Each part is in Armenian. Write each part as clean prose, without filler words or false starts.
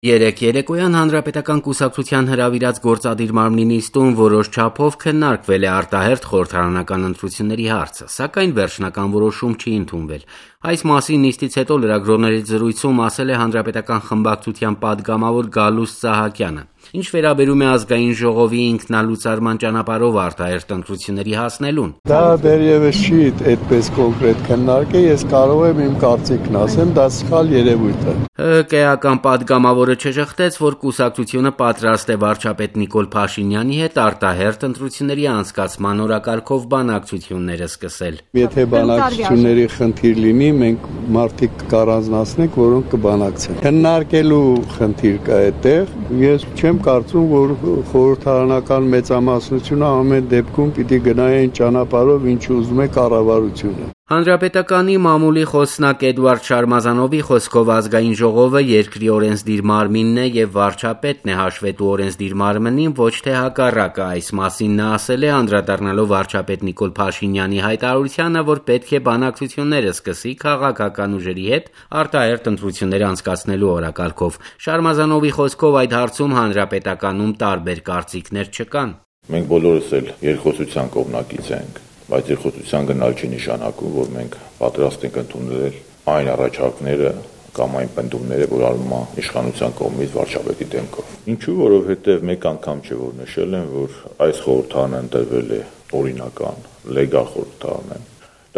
Երեկ երեկոյան Հանրապետական կուսակցության հրավիրած գործադիր մարմնի նիստում որոշ չափով քննարկվել է արտահերթ խորհրդարանական ընտրությունների հարցը, սակայն վերջնական որոշում չի ընդունվել։ Այս մասին նիստից հետո լրագրողների զրույցում ասել է Հանրապետական խմբակցության պատգամավոր Գալուստ Սահակյանը։ Ինչ վերաբերում է ազգային ժողովի ինքնալուծարման ճանապարհով արտահերթ ընտրությունների հասնելուն։ Դա դեռևս չի այդպես կոնկրետ քննարկել, ես կարող եմ իմ կարծիքն ասեմ, դա սխալ երևույթ է։ ՀԿ-ական պատգամավորը չժխտեց, որ կուսակցությունը պատրաստ է վարչապետ Նիկոլ Փաշինյանի հետ արտահերթ ընտրությունների անցկացման օրակարգով բանակցությունները սկսել։ Եթե բանակցությունների խնդիր լինի, մենք մարդիկ կառանձնացնենք, որոնք կբանակցեն։ Քննարկելու խնդիր կա այդտեղ, ես չեմ կարծում, որ խորհրդարանական մեծամասնությունը ամեն դեպքում պիտի գնային ճանապարհով, ինչ ուզում է կառավարությունը։ Հանրապետականի մամուլի խոսնակ Էդուարդ Շարմազանովի խոսքով ազգային ժողովը երկրի օրենսդիր մարմինն է եւ վարչապետն է հաշվետու օրենսդիր մարմնին, ոչ թե հակառակը։ Այս մասին նա ասել է անդրադառնալով վարչապետ Նիկոլ Փաշինյանի հայտարարությանը, որ պետք է բանակցությունները սկսի քաղաքական ուժերի հետ արտահերթ ընտրություններ անցկացնելու օրակարգով։ Շարմազանովի խոսքով այդ հարցում Հանրապետականում տարբեր կարծիքներ չկան։ Մենք բոլորս էլ երկխոսության կողմնակից ենք, բայց երկխոսության գնալ չի նշանակում, որ մենք պատրաստ ենք ընդունել այն առաջարկները կամ այն պնդումները, որ արվում է իշխանության կողմից վարչապետի դեմքով։ Ինչու՞, որովհետև մեկ անգամ չէ, որ նշել են, որ այս խորհրդարանը ընտրվել է օրինական, լեգալ խորհրդարան է։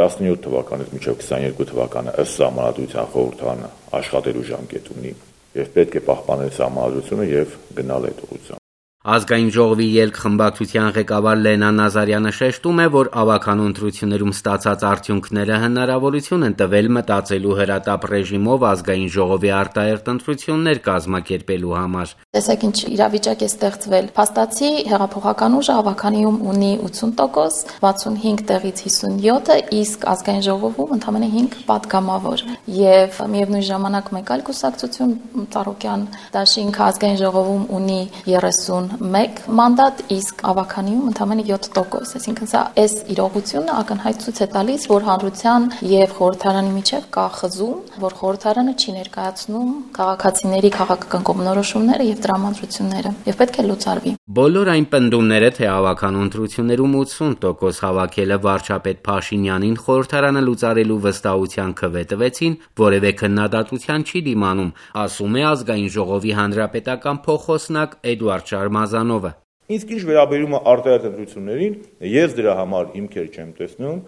17 թվականից մինչև 22 թվականը ըստ սահմանադրության խորհրդարանը աշխատելու ժամկետ ունի եւ պետք է պահպանել սահմանադրությունը եւ գնալ այդ ուղղությամբ։ Ազգային ժողովի ելք խմբակցության ղեկավար Լենա Նազարյանը շեշտում է, որ ավականու ընտրություններում ստացած արդյունքները հնարավորություն են տվել մտածելու հրատապ ռեժիմով ազգային ժողովի արտահերթ ընտրություններ կազմակերպելու համար։ Տեսեք ինչ իրավիճակ է ստեղծվել։ Փաստացի հեղափոխական ուժը ավականիում ունի 80%, 65 տեղից 57-ը, իսկ ազգային ժողովում ընդամենը 5 պատգամավոր։ Եվ միևնույն ժամանակ մեկ այլ կուսակցություն Ծառուկյան դաշինքը ազգային ժողովում ունի 31 մանդատ, իսկ ավականիում ընդամենը 7%, այսինքն սա այս իրողությունը ակնհայտ ցույց է տալիս, որ հանրության եւ խորհրդարանի միջեւ կա խզում, որ խորհրդարանը չի ներկայացնում քաղաքացիների քաղաքական կողմնորոշումները եւ տրամադրությունները եւ պետք է լուծարվի։ Բոլոր այն պնդումները, թե ավականու ընտրություններում 80% հավաքելը վարչապետ Փաշինյանին խորհրդարանը լուծարելու վստահության քվե տվեցին, որևէ քննադատության չի դիմանում, ասում է ազգային ժողովի հանրապետական փոխոսնակ Էդուարդ Շարմազանովը։ Իսկ ինչ վերաբերում է արտահերթ ընտրություններին, ես դրա համար հիմքեր չեմ տեսնում։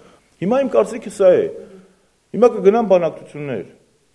Հիմա իմ կարծիքը սա է։ Հիմա կգնան բանակցություններ։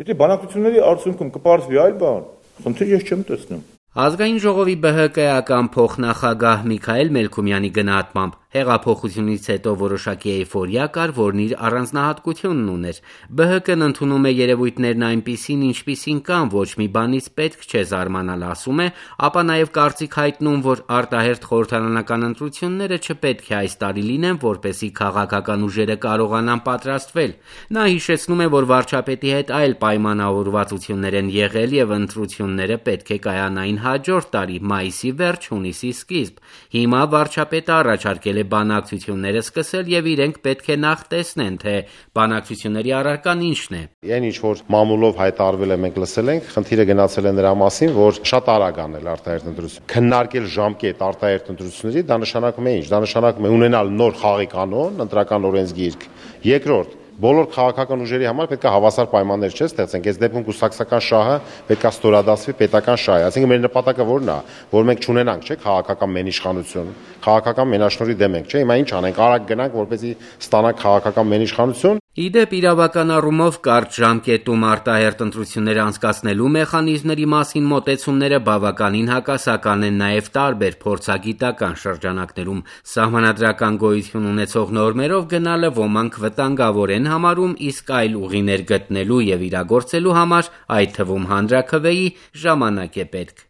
Եթե բանակցությունների արդյունքում կպարզվի այլ բան, խնդիր ես չեմ տեսնում։ Ազգային ժողովի ԲՀԿ-ական փոխնախագահ Միքայել Մելքումյանի գնահատմամբ հեղափոխությունից հետո որոշակի էյֆորիա կար, որն իր առանձնահատկությունն ուներ։ ԲՀԿ-ն ընդունում է երևույթներն այնպիսին, ինչպիսին կան, ոչ մի բանից պետք չէ զարմանալ, ասում է, ապա նաև կարծիք հայտնում, որ արտահերթ խորհրդարանական ընտրությունները չպետք է այս տարի լինեն, որպեսզի քաղաքական ուժերը կարողանան պատրաստվել։ Նա հիշեցնում է, որ վարչապետի հետ այլ պայմանավորվածություններ են եղել եւ ընտրությունները պետք է կայանային հաջորդ տարի, մայիսի վերջ, հունիսի սկիզբ։ Հիմա վարչապետը առաջարկել է բանակցությունները սկսել եւ իրենք պետք է նախ տեսնեն, թե բանակցությունների առարկան ինչն է։ Այն ինչ որ մամուլով հայտարարվել է, մենք լսել ենք, խնդիրը գնացել է նրա մասին, որ շատ արագ անել արտահերթ ընտրություն։ Քննարկել ժամկետ արտահերթ ընտրությունների, դա նշանակում է ինչ։ Դա նշանակում է ունենալ նոր խաղի կանոն, ընտրական օրենսգիրք։ Երկրորդ, բոլոր քաղաքական ուժերի համար պետք է հավասար պայմաններ չստեղծենք։ Այս դեպքում կուսակցական շահը պետք է ստորադասվի պետական շահի։ Այսինքն մեր նպատակը որն է, որ մենք չունենանք, չէ՞, քաղաքական մենիշխանություն, քաղաքական մենաշնորհի դեմ ենք, չէ՞։ Հիմա ինչ անենք, արագ գնանք, որպեսզի ստանանք քաղաքական մենիշխանություն։ Իդեպ իրավական առումով կարճ ժամկետում արտահերթ ընտրությունները անցկացնելու մեխանիզմների մասին մոտեցումները բավականին հակասական են նաև տարբեր փորձագիտական շրջանակներում։ Սահմանադրական գոյություն ունեցող նորմերով գնալը ոմանք վտանգավոր են համարում, իսկ այլ ուղիներ գտնելու եւ իրագործելու համար, այդ թվում հանրաքվեի, ժամանակ է պետք։